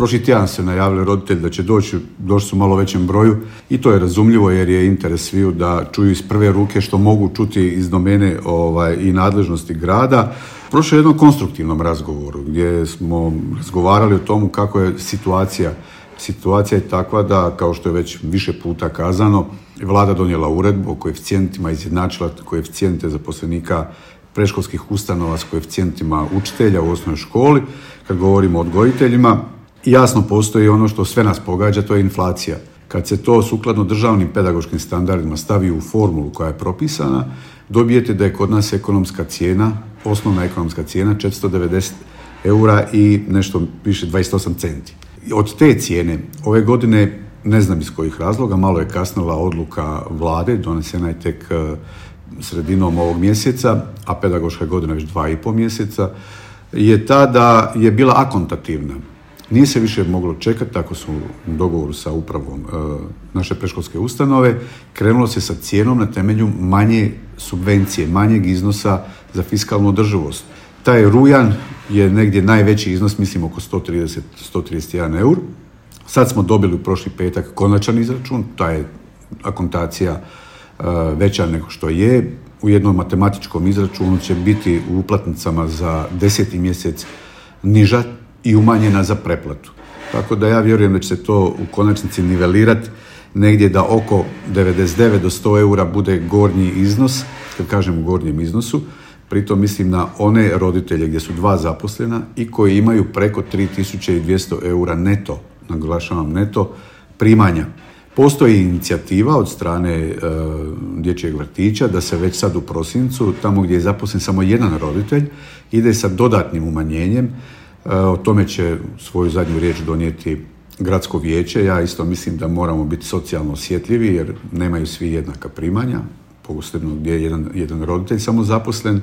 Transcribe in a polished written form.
Prošli tjedan se najavili roditelji da će došli su malo većem broju i to je razumljivo jer je interes sviju da čuju iz prve ruke što mogu čuti iz domene i nadležnosti grada. Prošlo je jednom konstruktivnom razgovoru gdje smo razgovarali o tomu kako je situacija. Situacija je takva da, kao što je već više puta kazano, Vlada donijela uredbu o koeficijentima, izjednačila koeficijente zaposlenika predškolskih ustanova s koeficijentima učitelja u osnovnoj školi. Kad govorimo o odgojiteljima, jasno postoji ono što sve nas pogađa, to je inflacija. Kad se to sukladno državnim pedagoškim standardima stavi u formulu koja je propisana, dobijete da je kod nas ekonomska cijena, osnovna ekonomska cijena 490 eura i nešto više 28 centi. Od te cijene ove godine, ne znam iz kojih razloga, malo je kasnila odluka Vlade, donesena je tek sredinom ovog mjeseca, a pedagoška godina već 2,5 mjeseca, je ta da je bila akontativna. Nije se više moglo čekati, tako su u dogovoru sa upravom naše predškolske ustanove, krenulo se sa cijenom na temelju manje subvencije, manjeg iznosa za fiskalnu održivost. Taj rujan je negdje najveći iznos, mislim oko 131 eur. Sad smo dobili u prošli petak konačan izračun, ta je akontacija veća nego što je. U jednom matematičkom izračunu će biti u uplatnicama za 10. mjesec niža i umanjena za preplatu. Tako da ja vjerujem da će se to u konačnici nivelirati negdje da oko 99 do 100 eura bude gornji iznos, kad kažem u gornjem iznosu, pritom mislim na one roditelje gdje su 2 zaposlena i koji imaju preko 3200 eura neto, naglašavam neto, primanja. Postoji inicijativa od strane dječjeg vrtića da se već sad u prosincu, tamo gdje je zaposlen samo jedan roditelj, ide sa dodatnim umanjenjem. O tome će svoju zadnju riječ donijeti gradsko vijeće. Ja isto mislim da moramo biti socijalno osjetljivi jer nemaju svi jednaka primanja, posebno gdje je jedan roditelj samo zaposlen.